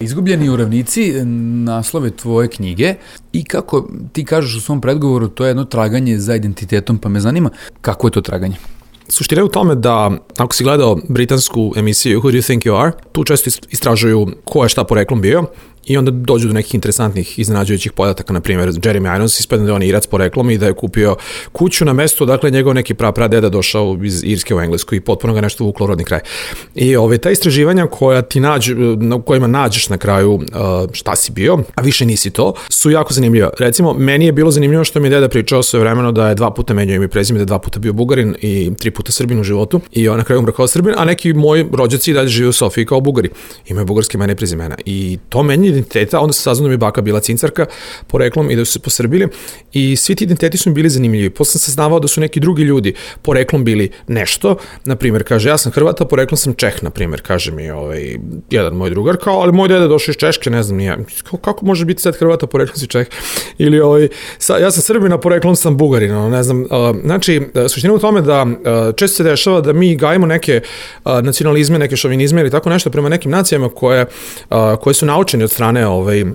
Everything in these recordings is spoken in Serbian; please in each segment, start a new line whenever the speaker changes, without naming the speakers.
Izgubljeni uravnici, naslove tvoje knjige i kako ti kažeš u svom predgovoru, to je jedno traganje za identitetom, pa me zanima kako je to traganje?
Suština je u tome da, ako si gledao britansku emisiju Who Do You Think You Are, tu često istražuju ko je šta poreklom bio i onda dođu do nekih interesantnih, iznenađujućih podataka, na primjer Jeremy Irons ispadne da je on Irac poreklom i da je kupio kuću na mestu, dakle njegov neki pradeda došao iz Irske u Englesku i potpuno ga nešto vuklo u rodni kraj. I ta istraživanja koja na kojima nađeš na kraju šta si bio, a više nisi to, su jako zanimljiva. Recimo, meni je bilo zanimljivo što mi je deda pričao svojevremeno da je 2 puta menjao ime i prezime, da je 2 puta bio Bugarin i 3 puta Srbin u životu i on na kraju umro kao Srbin, a neki moji rođaci dalje žive u Sofiji kao Bugari. Imaju bugarske imena i prezimena. I to meni identiteta, onda se saznao da mi baka bila Cincarka poreklom i da su se posrbili i svi ti identiteti su mi bili zanimljivi. Posle sam saznavao da su neki drugi ljudi poreklom bili nešto, na primjer, kaže, ja sam Hrvata, poreklom sam Čeh, na primjer, kaže mi jedan moj drugar, kao, ali moj deda došao iz Češke, ne znam, nije, kako može biti sad Hrvata, poreklom si Čeh, ili ja sam Srbina, poreklom sam Bugarin, ne znam, znači, suština u tome da često se dešava da mi gajimo neke nacionalizme, neke šovinizme ili tako nešto prema nekim nacijama koje su naučeni od strane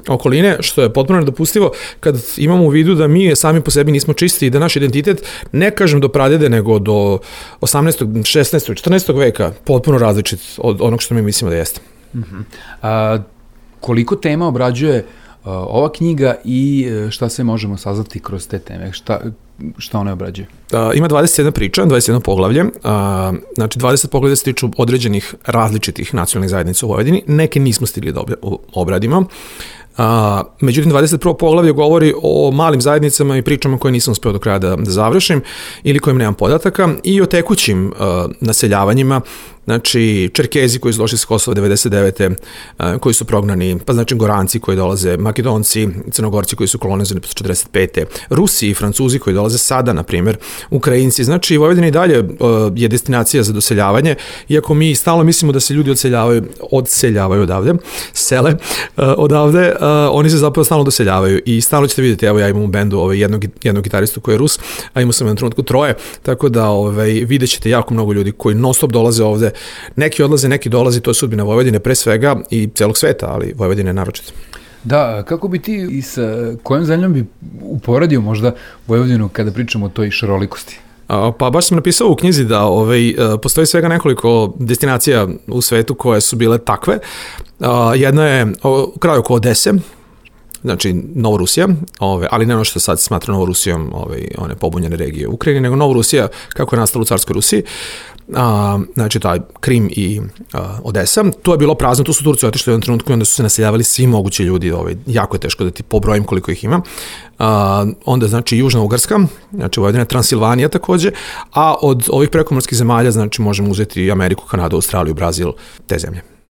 okoline, što je potpuno nedopustivo kad imamo u vidu da mi sami po sebi nismo čisti i da naš identitet, ne kažem do pradede, nego do 18., 16., 14. veka potpuno različit od onog što mi mislimo da jeste.
Koliko tema obrađuje ova knjiga i šta se možemo saznati kroz te teme? Šta one obrađuje?
Ima 21 priča, 21 poglavlje. Znači, 20 poglavlja se tiču određenih različitih nacionalnih zajednica u Vojvodini. Neke nismo stigli da obradimo. Međutim, 21. poglavlje govori o malim zajednicama i pričama koje nisam uspeo do kraja da završim ili kojim nemam podataka i o tekućim naseljavanjima, znači Čerkezi koji su došli s Kosova 99. Koji su prognani, pa znači Goranci koji dolaze, Makedonci, Crnogorci koji su kolonizovani posle 45. Rusi i Francuzi koji dolaze sada, na primjer, Ukrajinci. Znači, Vojvodina i dalje je destinacija za doseljavanje, iako mi stalno mislimo da se ljudi odseljavaju odavde, sele odavde, oni se zapravo stalno doseljavaju i stalno ćete vidjeti, evo ja imam u bendu jednog gitaristu koji je Rus, a imao sam u jednom trenutku 3, tako da vidjet ćete jako mnogo ljudi koji non stop dolaze ovde. Neki odlaze, neki dolazi, to je sudbina Vojvodine pre svega i celog sveta, ali Vojvodine naročito.
Da, kako bi ti i sa kojom zemljom bi uporedio možda Vojvodinu kada pričamo o toj šarolikosti?
Pa baš sam napisao u knjizi da postoji svega nekoliko destinacija u svetu koje su bile takve. Jedna je u kraju oko Odese, znači Novorusija, ali ne ono što sad smatra Novorusijom one pobunjene regije Ukrajine, nego Novorusija kako je nastala u carskoj Rusiji. Znači taj Krim i Odesa, to je bilo prazno, tu su Turci otišli u jednom trenutku i onda su se naseljavali svi mogući ljudi, jako je teško da ti pobrojim koliko ih ima. Onda znači Južna Ugarska, znači Vojvodina, Transilvanija takođe, a od ovih prekomorskih zemalja znači možemo uzeti Ameriku, Kanadu, Australiju, Brazil, te zemlje.